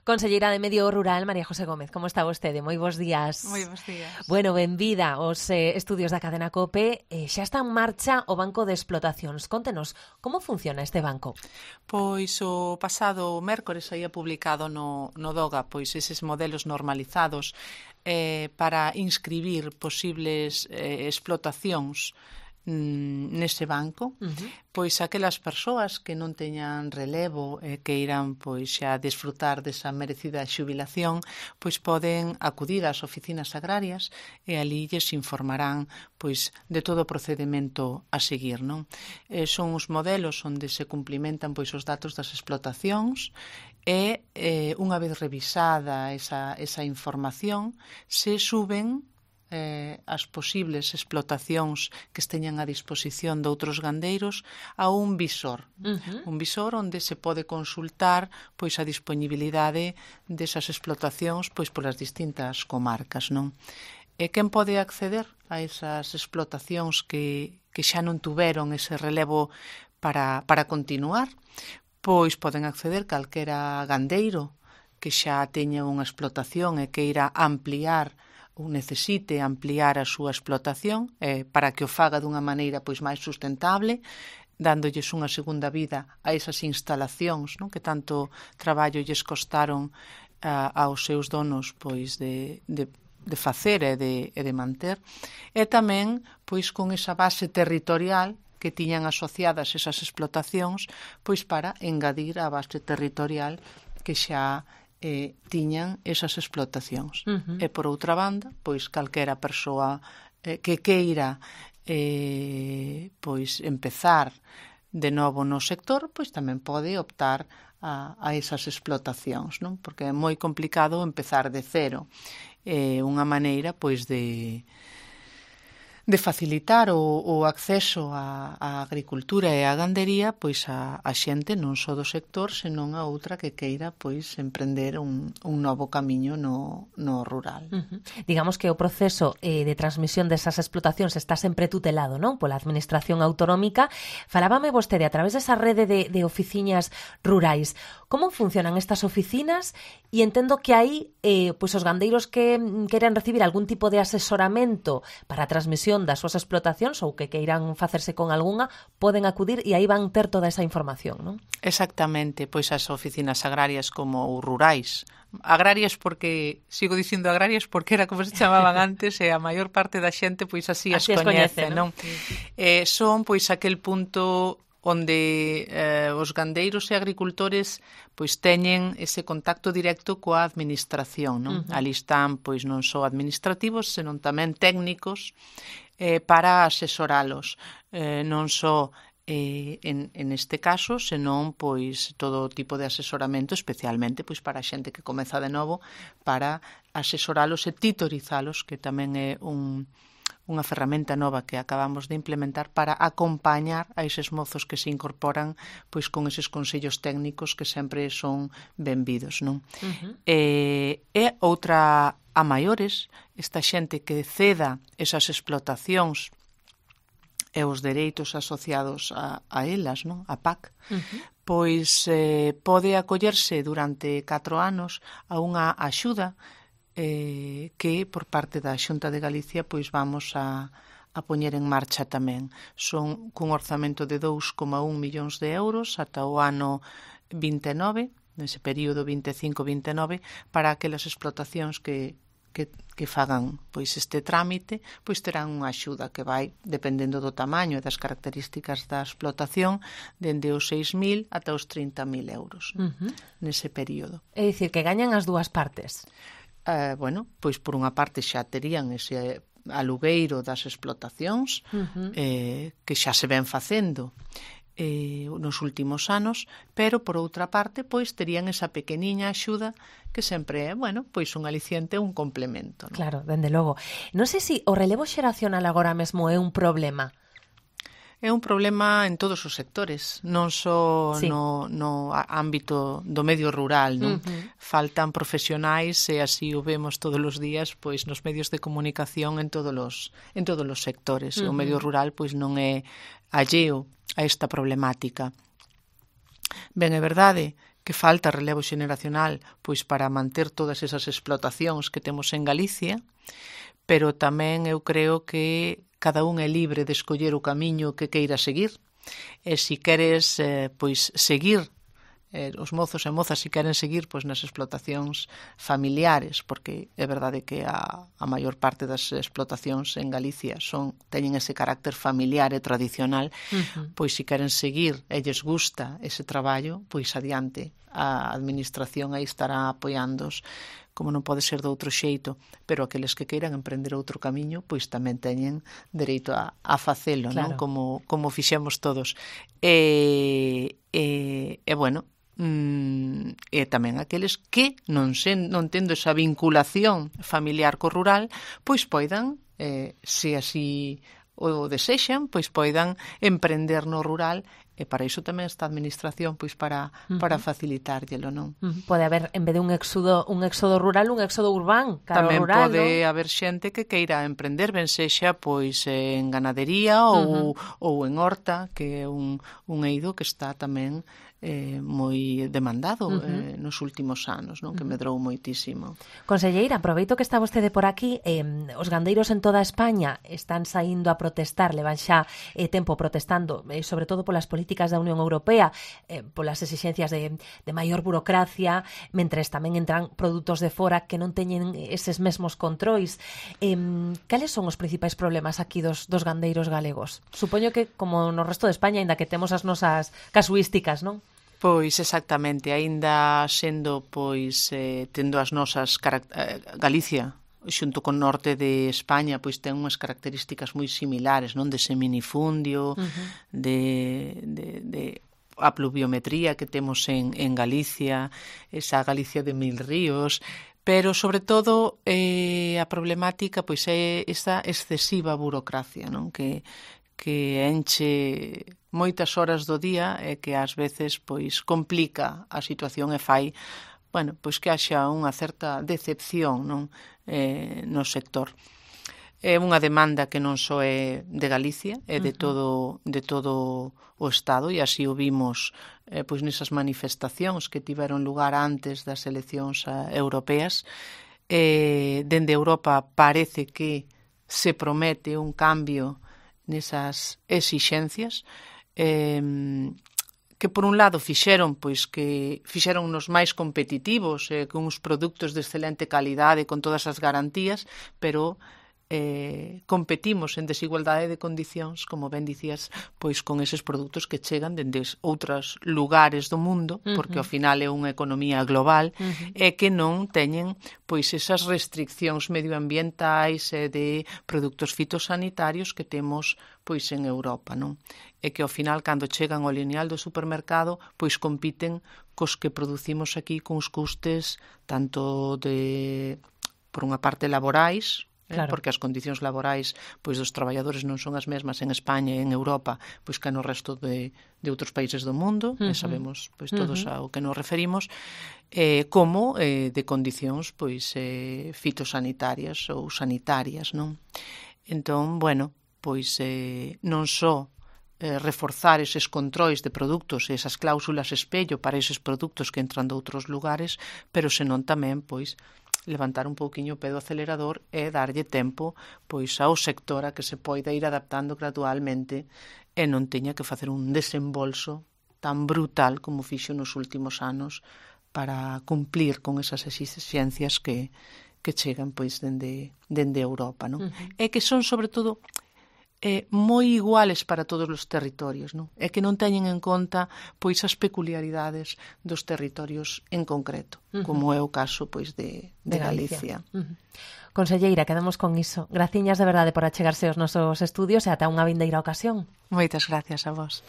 Conselleira de Medio Rural, María José Gómez, como está vostede? Moi bons días. Moi bons días. Bueno, benvida aos estudios da cadena COPE. Xa está en marcha o Banco de Explotacións. Contenos, como funciona este banco? Pois o pasado mércores saía publicado no DOGA pois eses modelos normalizados para inscribir posibles explotacións neste banco, pois aquelas persoas que non teñan relevo e que irán pois xa desfrutar desa merecida xubilación, pois poden acudir ás oficinas agrarias e ali lles informarán pois de todo o procedemento a seguir, non? Son os modelos onde se cumplimentan pois os datos das explotacións e unha vez revisada esa información se suben as posibles explotacións que esteñan a disposición de outros gandeiros a un visor. Un visor onde se pode consultar pois a disponibilidade desas explotacións pois polas distintas comarcas, non? E quen pode acceder a esas explotacións que xa non tuveron ese relevo para continuar? Pois poden acceder calquera gandeiro que xa teña unha explotación e que irá ampliar ou necesite ampliar a súa explotación para que o faga dunha maneira pois máis sustentable, dándolles unha segunda vida a esas instalacións, non? Que tanto traballo lles costaron aos seus donos pois de facer e de manter, e tamén pois con esa base territorial que tiñan asociadas esas explotacións pois para engadir a base territorial que xa tiñan esas explotacións. E por outra banda, pois calquera persoa que queira pois empezar de novo no sector, pois tamén pode optar a esas explotacións, non? Porque é moi complicado empezar de cero. Unha maneira pois de facilitar o acceso á agricultura e á gandería pois a xente non só do sector, senón a outra que queira pois emprender un novo camiño no rural. Digamos que o proceso de transmisión desas explotacións está sempre tutelado, non? Pola Administración Autonómica. Falábame vostede a través desa rede de oficinas rurais. Como funcionan estas oficinas? E entendo que aí pois os gandeiros que queiran recibir algún tipo de asesoramento para a transmisión das súas explotacións ou que queiran facerse con algunha, poden acudir e aí van ter toda esa información, non? Exactamente, pois as oficinas agrarias como os rurais. Agrarias porque, sigo dicindo agrarias porque era como se chamaban antes e a maior parte da xente pois así as coñece, non? Son pois aquel punto onde os gandeiros e agricultores pois teñen ese contacto directo coa administración, non? Ali están pois non só administrativos, senón tamén técnicos para asesoralos, non só en este caso, senón pois todo tipo de asesoramento, especialmente pois para a xente que comeza de novo, para asesoralos e titorizalos, que tamén é unha ferramenta nova que acabamos de implementar para acompañar a eses mozos que se incorporan pois con eses consellos técnicos que sempre son benvidos, non? E outra a maiores, esta xente que ceda esas explotacións e os dereitos asociados a elas, non? A PAC, pois pode acollerse durante 4 anos a unha axuda que por parte da Xunta de Galicia pois vamos a poñer en marcha tamén. Son cun orzamento de 2,1 millóns de euros ata o ano 29, nese período 25-29, para aquelas explotacións que fagan pois este trámite, pois terán unha axuda que vai, dependendo do tamaño e das características da explotación, dende os 6.000 ata os 30.000 euros nese período. É dicir, que gañan as dúas partes. Bueno, pois por unha parte xa terían ese alugueiro das explotacións que xa se ven facendo nos últimos anos, pero por outra parte pois terían esa pequeniña axuda que sempre é, bueno, pois un aliciente, un complemento, non? Claro, dende logo. Non sei se o relevo xeracional agora mesmo é un problema. É un problema en todos os sectores, non só no ámbito do medio rural, non? Faltan profesionais e así o vemos todos os días pois nos medios de comunicación en todos os sectores. E o medio rural pois non é alleo a esta problemática. Ben, é verdade que falta relevo xeneracional pois para manter todas esas explotacións que temos en Galicia, pero tamén eu creo que cada un é libre de escoller o camiño que queira seguir, e se queres pois seguir os mozos e mozas se queren seguir pois nas explotacións familiares, porque é verdade que a maior parte das explotacións en Galicia teñen ese carácter familiar e tradicional, pois se queren seguir e lles gusta ese traballo, pois adiante, a administración aí estará apoiándoos como non pode ser de outro xeito, pero aqueles que queiran emprender outro camiño, pois tamén teñen dereito a facelo, claro, non? Como fixemos todos. E bueno, e tamén aqueles que non tendo esa vinculación familiar co rural, pois poidan, se así o desexan, pois poidan emprender no rural, e para iso tamén está a administración, pois para facilitárllelo, non? Pode haber, en vez de un éxodo rural, un éxodo urbán, tamén rural, pode non? haber xente que queira emprender, ben sexa pois en ganadería ou en horta, que é un eido que está tamén moi demandado nos últimos anos, non? Que medrou moitísimo. Conselleira, aproveito que está vostede por aquí. Os gandeiros en toda España están saindo a protestar, levan xa tempo protestando, sobre todo polas políticas da Unión Europea, polas exixencias de maior burocracia, mentres tamén entran produtos de fora que non teñen eses mesmos controis. Cales son os principais problemas aquí dos gandeiros galegos? Supoño que, como no resto de España, aínda que temos as nosas casuísticas, non? Pois exactamente, aínda sendo pois tendo as nosas Galicia xunto con norte de España pois ten unhas características moi similares, non? De seminifundio, de a pluviometría que temos en Galicia, esa Galicia de 1000 ríos, pero sobre todo a problemática pois é esa excesiva burocracia, non? Que enche moitas horas do día e que ás veces pois complica a situación e fai, bueno, pois que haxa unha certa decepción, non? No sector. É unha demanda que non só é de Galicia, é de todo o Estado, e así o vimos pois nesas manifestacións que tiveron lugar antes das eleccións europeas. Dende Europa parece que se promete un cambio nesas exixencias que por un lado fixeron nos máis competitivos con uns produtos de excelente calidade con todas as garantías, pero competimos en desigualdade de condicións, como ben dicías, pois con eses produtos que chegan dende outros lugares do mundo, porque ao final é unha economía global, e que non teñen pois esas restriccións medioambientais e de produtos fitosanitarios que temos pois en Europa, non? E que ao final, cando chegan ao lineal do supermercado, pois compiten cos que producimos aquí con os custes tanto por unha parte laborais, claro, porque as condicións laborais pois dos traballadores non son as mesmas en España e en Europa pois que no resto de outros países do mundo, e sabemos pois todos ao que nos referimos, como de condicións pois fitosanitarias ou sanitarias, non? Entón, bueno, pois non só reforzar eses controis de produtos e esas cláusulas espello para eses produtos que entran de outros lugares, pero senón tamén pois levantar un pouquiño o pé do acelerador e darlle tempo pois ao sector a que se poida ir adaptando gradualmente e non teña que facer un desembolso tan brutal como fixo nos últimos anos para cumplir con esas exixencias que chegan pois dende Europa, non? E que son sobre todo moi iguales para todos os territorios, non? E que non teñen en conta pois as peculiaridades dos territorios en concreto, como é o caso pois de Galicia. Conselleira, quedamos con iso. Graciñas de verdade por achegarse aos nosos estudios e ata unha vindeira ocasión. Moitas gracias a vos.